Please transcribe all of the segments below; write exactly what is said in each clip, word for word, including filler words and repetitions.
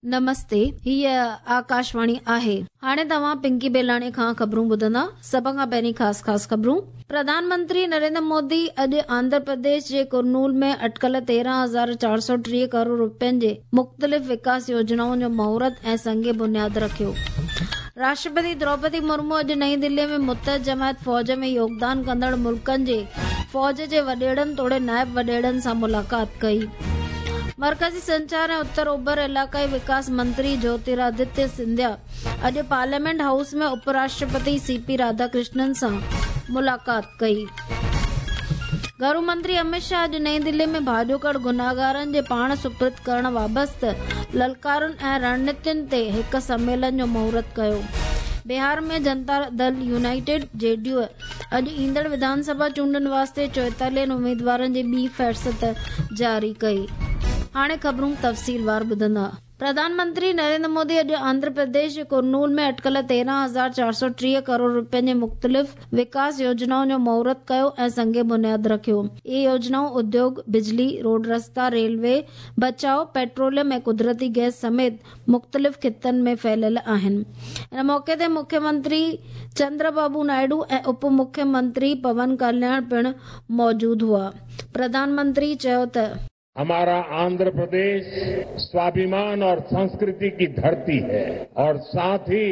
نمستي، هيءَ آڪاشواڻي آهي. هاڻي توهان پنڪي بيلاڻي کان خبرون ٻڌندا. سڀ کان پهرين خاص خاص خبرون. پرڌان منتري نريندر مودي اڄ آنڌرا پرديش جي ڪرنول ۾ اٽڪل تيرهن هزار چار سؤ ٽيهه ڪروڙ رپين جي مختلف وڪاس يوجنائن جو مهورت ۽ سنگ بنياد رکيو. راشٽرپتي دروپدي مرمو اڄ نئين دلي ۾ متحد جماعت فوج ۾ يوگدان ڪندڙ ملڪن جي فوج جي وڏيرن توڙي نائب وڏيرن سان ملاقات ڪئي. مرڪزي سنچار ۽ اتر اوڀر علائقائي وڪاس منتري جيوترادتيه سنڌيا اڄ پارليامينٽ هائوس ۾ اپ راشٽرپتي سي پي راڌاڪرشنن سان ملاقات ڪئي. گهرو منتري امت شاهه اڄ نئين دلي ۾ ڀاڄوڪڙ گناهگارن جي پاڻ سپرد ڪرڻ وابسته للڪارن ۽ رڻنيتين تي هڪ سميلن جو مهورت ڪيو. بهار ۾ جنتا دل يونائيٽيڊ جي ڊي يو اڄ ايندڙ وڌان سڀا چونڊن واسطي چوئيتاليهن اميدوارن جي ٻي فهرست جاري ڪئي. هاڻي خبرون تفصيلوار ٻڌندا. پرڌان منتري نريندر مودي اڄ آنڌرا پرديش جي ڪرنول ۾ اٽڪل تيرهن هزار چار سؤ ٽيهه ڪروڙ رپين جي مختلف وڪاس يوجنائن جو مهورت ڪيو ۽ سنگ بنياد رکيو. اهي يوجنائون اديوگ، بجلي، روڊ رستا، ريلوي، بچاء، پيٽروليم ۽ قدرتي گئس سميت مختلف خطن ۾ ڦهليل آهن. ان موقعي تي مکيه منتري چندر بابو نائيڊو ۽ اپ مکيه منتري پون ڪلياڻ پڻ موجود هئا. پرڌان منتري چيو ته हमारा आंध्र प्रदेश स्वाभिमान और संस्कृति की धरती है और साथ ही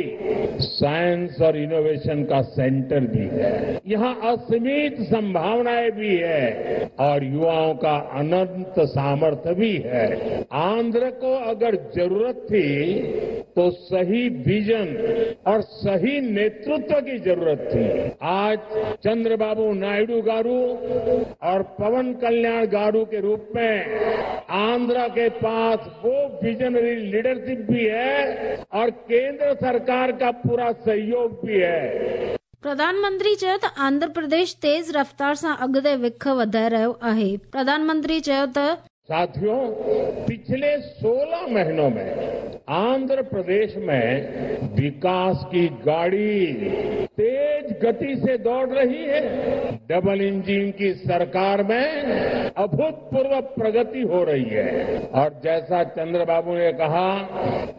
साइंस और इनोवेशन का सेंटर भी है। यहाँ असीमित संभावनाएं भी है और युवाओं का अनंत सामर्थ्य भी है। आंध्र को अगर जरूरत थी तो सही विजन और सही नेतृत्व की जरूरत थी। आज चंद्रबाबू नायडू गारू और पवन कल्याण गारू के रूप में आंध्र के पास वो विजनरी लीडरशिप भी है और केंद्र सरकार का पूरा सहयोग भी है। प्रधानमंत्री चयो त आंध्र प्रदेश तेज़ रफ़्तार सां अॻिते विख वधाए रहियो आहे। प्रधानमंत्री चयो त साथियों, पिछले सोलह महीनों में आंध्र प्रदेश में विकास की गाड़ी तेज गति से दौड़ रही है। डबल इंजन की सरकार में अभूतपूर्व प्रगति हो रही है और जैसा चंद्रबाबू ने कहा,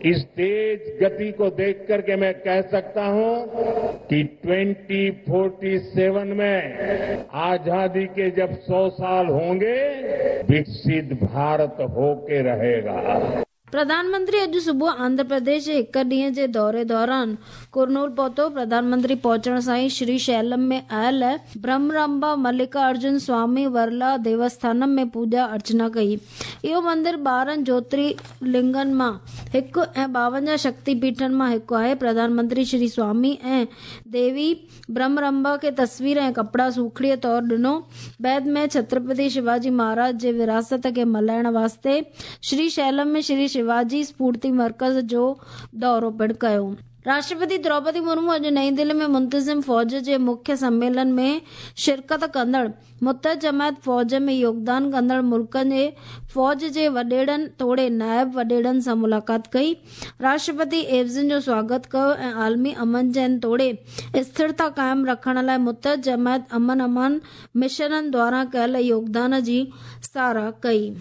इस तेज गति को देख करके मैं कह सकता हूं कि ट्वेंटी फोर्टी सेवन में आजादी के जब सौ साल होंगे, विकसित भारत होके रहेगा। प्रधानमंत्री अॼु सुबुह आंध्र प्रदेश जे हिकु ॾींहं जे दौरे दौरान कुरनूल पहुतो। प्रधानमंत्री पहुचण सां ई श्री शैलम में आयल ब्रह्मराम्बा मल्लिकार्जुन स्वामी वरला देवस्थानम में पूॼा अर्चना कई। इहो मंदिर ॿारहं ज्योतिर्लिंगनि मां हिकु ऐं ॿावंजाह शक्तिपीठनि मां हिकु आहे। प्रधानमंत्री श्री स्वामी ऐं देवी ब्रह्मरम्बा खे तस्वीर ऐं कपिड़ा सूखड़ीअ तौर ॾिनो। बाद में छत्रपति शिवाजी महाराज जे विरासत खे मल्हाइण वास्ते श्री शैलम में श्री शिवाजी स्फूर्ति मर्कज़ जो दौरो पिणु कयो। राष्ट्रपति द्रौपदी मुर्मू अॼु नई दिल्ली में मुंतज़िम फ़ौज जे मुख्य सम्मेलन में शिरकत कंदड़ मुतहद जमायत फ़ौज में योगदान कंदड़ मुल्कनि जे फ़ौज जे वॾेरनि तोड़े नायब वॾेरनि सां मुलाक़ात कई। राष्ट्रपति एवज़िन जो स्वागत कयो ऐं आलमी अमन चैन तोड़े स्थिरता क़ाइमु रखण लाइ मुतहद जमायत अमन अमान मिशननि द्वारा कयल योगदान जी सराह कई।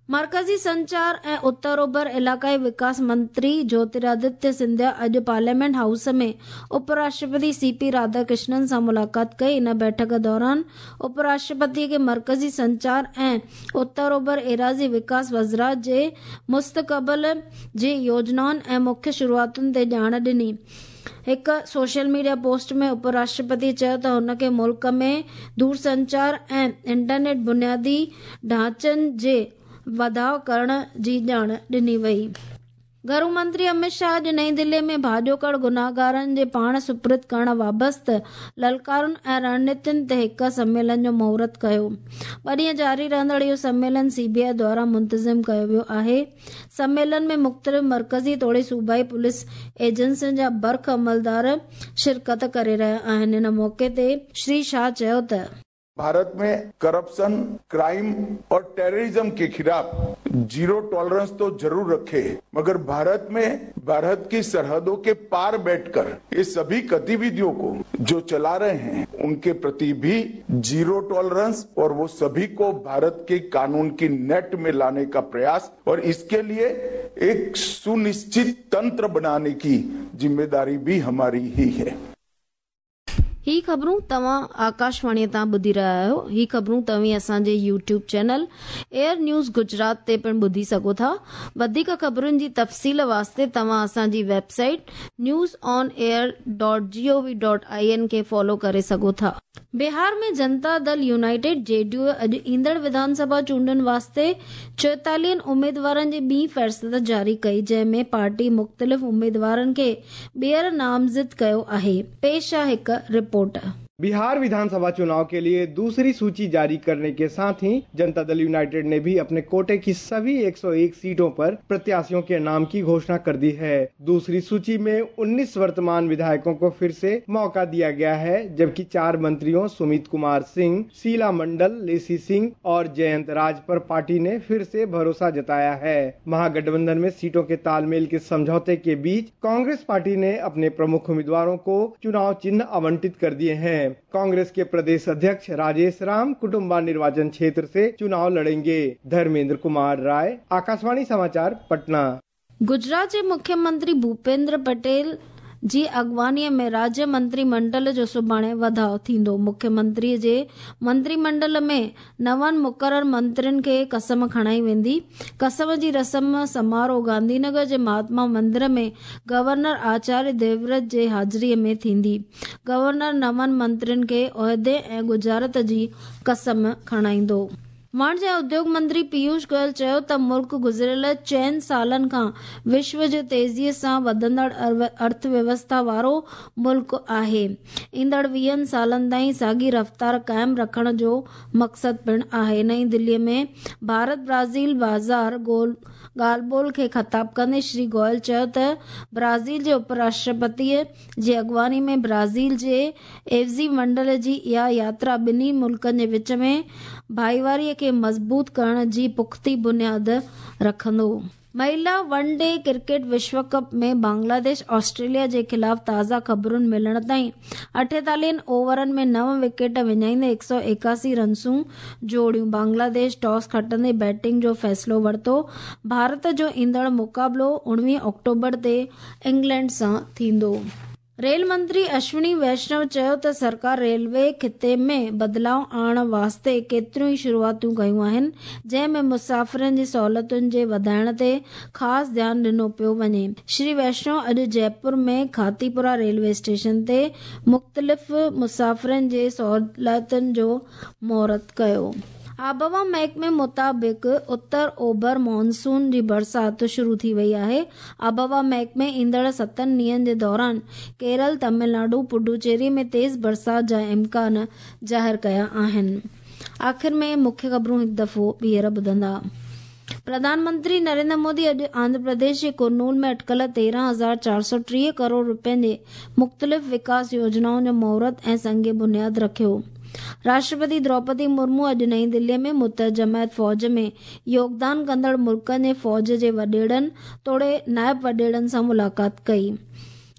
मर्कज़ी संचार ऐं उत्तर ओभर इलाक़ाई विकास मंत्री ज्योतिरादित्य सिंधिया अॼु पार्लियामेंट हाउस में उपराष्ट्रपति सी पी राधाकृष्णन सां मुलाक़ात कई। इन बैठक दौरान उपराष्ट्रपति खे मर्कज़ी संचार ऐं उत्तर ओभर एराज़ी विकास वज़ारत जे मुस्तक़बिल जी योजनाउनि ऐं मुख्य शुरूआतुनि ते ॼाण ॾिनी। हिकु सोशल मीडिया पोस्ट में उपराष्ट्रपति चयो त हुनखे मुल्क में दूरसंचार ऐं इंटरनेट बुनियादी ढांचनि जे वधाव करण जी ॼाण ॾिनी वई। घरू मंत्री अमित शाह अॼु नई दिल्ली में भाॼोकड़ गुनाहगारनि जे पाण सुपुर्द करण वाबस्त ललकारनि ऐं रणनीतियुनि ते हिकु सम्मेलन जो मुहूर्त कयो। ॿ ॾींहं जारी रहंदड़ इहो सम्मेलन सी बी I द्वारा मुंतज़िम कयो वियो आहे। सम्मेलन में मुख़्तलिफ़ मर्कज़ी तोड़े सूबाई पुलिस एजेंसियुनि जा बर्ख अमलदार शिरकत करे रहिया आहिनि। इन मौक़े ते श्री शाह चयो त भारत में करप्शन, क्राइम और टेररिज्म के खिलाफ जीरो टॉलरेंस तो जरूर रखे, मगर भारत में भारत की सरहदों के पार बैठकर ये सभी गतिविधियों को जो चला रहे हैं उनके प्रति भी जीरो टॉलरेंस और वो सभी को भारत के कानून की नेट में लाने का प्रयास और इसके लिए एक सुनिश्चित तंत्र बनाने की जिम्मेदारी भी हमारी ही है। ही ख़बरूं तव्हां आकाशवाणीअ तां ॿुधी रहिया आहियो। ही ख़बरूं तव्हीं असांजे YouTube channel AIR news Gujarat ते पिणु ॿुधी सघो था। वधीक ख़बरुनि जी तफ़सील वास्ते तव्हां असांजी website news on air dot G O V dot I N खे फॉलो करे सघो था। बिहार में जनता दल यूनाइटेड जेडीयू अॼु ईंदड़ विधानसभा चूंडुनि वास्ते चोएतालीहनि उमेदवारनि जी ॿी फ़हरिस्त जारी कई, जंहिंमें पार्टी मुख़्तलिफ़ उमेदवारनि खे ॿीहर नामज़द कयो आहे। पेश आहे हिकु रिपोर्ट। बिहार विधानसभा चुनाव के लिए दूसरी सूची जारी करने के साथ ही जनता दल यूनाइटेड ने भी अपने कोटे की सभी एक सौ एक सीटों पर प्रत्याशियों के नाम की घोषणा कर दी है। दूसरी सूची में उन्नीस वर्तमान विधायकों को फिर से मौका दिया गया है, जबकि चार मंत्रियों सुमित कुमार सिंह, शीला मंडल, लेसी सिंह और जयंत राज पर पार्टी ने फिर से भरोसा जताया है। महागठबंधन में सीटों के तालमेल के समझौते के बीच कांग्रेस पार्टी ने अपने प्रमुख उम्मीदवारों को चुनाव चिन्ह आवंटित कर दिए हैं। कांग्रेस के प्रदेश अध्यक्ष राजेश राम कुटुम्बा निर्वाचन क्षेत्र से चुनाव लड़ेंगे। धर्मेंद्र कुमार राय, आकाशवाणी समाचार, पटना। गुजरात जे मुख्यमंत्री भूपेंद्र पटेल जी अॻवानीअ में राज्य मंत्रिमंडल जो सुभाणे वधाव थींदो। मुख्यमंत्रीअ जे मंत्रिमंडल में नवनि मुक़रर मंत्रियुनि खे कसम खणाई वेंदी। कसम जी रस्म समारोह गांधीनगर जे महात्मा मंदिर में गवर्नर आचार्य देवव्रत जे हाज़िरीअ में थींदी। गवर्नर नवनि मंत्रियुनि खे ओहदे ऐं गुजरात जी कसम खणाईंदो। वाणिज्य ऐं उद्योग मंत्री पीयूष गोयल चयो त मुल्क गुज़िरियल चइनि सालनि खां विश्व जो तेज़ीअ सां वधंदड़ अर्थव्यवस्था वारो मुल्क आहे। ईंदड़ वीहनि सालनि ताईं साॻी रफ़्तार क़ाइमु रखण जो मक़सदु पिणु आहे। नई दिल्लीअ में भारत ब्राज़ील बाज़ार गोल ॻाल्हि ॿोल खे ख़िताब कंदे श्री गोयल चयो त ब्राज़ील जे उपराष्ट्रपतीअ जी अॻवानी में ब्राज़ील जे एवज़ी मंडल जी इहा यात्रा ॿिन्ही मुल्कनि जे विच में भाईवारीअ खे मज़बूत करण जी पुख़्ती बुनियाद रखंदो। महिला वन डे क्रिकेट विश्व कप में बांग्लादेश ऑस्ट्रेलिया जे ख़िलाफ़ ताज़ा ख़बरुनि मिलण ताईं अठेतालीहनि ओवरनि में नव विकेट विञाईंदे हिकु सौ एकासी रनसूं जोड़ियूं। बांग्लादेश टॉस खटंदे बैटिंग जो फ़ैसिलो वरितो। भारत जो ईंदड़ मुक़ाबिलो उणिवीह अक्टूबर ते इंग्लैंड सां थींदो। रेल मंत्री अश्विनी वैष्णव चयो त सरकार रेलवे खिते में बदिलाव आणण वास्ते केतिरियूं ई शुरूआतूं कयूं आहिनि, जंहिंमें मुसाफ़िरनि जी सहूलियतुनि जे वधाइण ते ख़ासि ध्यानु ॾिनो पियो वञे। श्री वैष्णव अॼु जयपुर में खातीपुरा रेलवे स्टेशन ते मुख़्तलिफ़ मुसाफ़िरनि जे सहूलियतुनि जो मुहूर्त कयो। आबहवा महकमे मुताबिक़ उत्तर ओभर मानसून जी बरसात शुरू थी वई आहे। आबहवा महकमे ईंदड़ सतनि ॾींहंनि जे दौरान केरल, तमिलनाडु, पुडुचेरी में तेज़ बरसात जा इम्कान ज़ाहिर कया आहिनि। आख़िर में मुख्य ख़बरूं हिकु दफ़ो ॿीहर ॿुधंदा। प्रधानमंत्री नरेंद्र मोदी अॼु आंध्र प्रदेश जे कुरनूल में अटकल तेरहं हज़ार चारि सौ टीह करोड़ रुपयनि जे मुख़्तलिफ़ विकास योजनाउनि जो मुहूर्त ऐं संग बुनियाद रखियो। राष्ट्रपति द्रौपदी मुर्मू अॼु नई दिल्लीअ में मुतहद जमायत फ़ौज में योगदान कंदड़ मुल्कनि जे फ़ौज जे वॾेड़नि तोड़े नायब वॾेड़नि सां मुलाक़ात कई।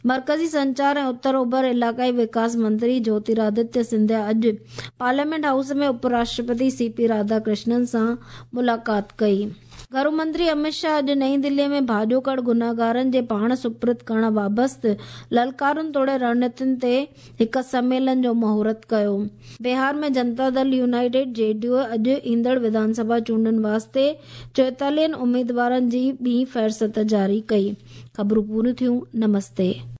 मरकज़ी संचार ऐं उत्तर ओभर इलाक़ाई विकास मंत्री ज्योतिरादित्य सिंधिया अॼु पार्लियामेंट हाउस में उपराष्ट्रपति सी पी राधाकृष्णन सां मुलाक़ात कई। घरू मंत्री अमित शाह अॼु नई दिल्लीअ में भाॼोकड़ गुनाहगारनि जे पाण सुपुर्द करण बाबति ललकारुनि तोड़े रणनीतियुनि ते हिकु सम्मेलन जो मुहूर्त कयो। बिहार में जनता दल यूनाइटेड जेडीयू अॼु ईंदड़ विधानसभा चूंडुनि वास्ते चोएतालीहनि उमेदवारनि जी ॿी फ़हरिस्त जारी कई। ख़बरूं पूरियूं थियूं। नमस्ते।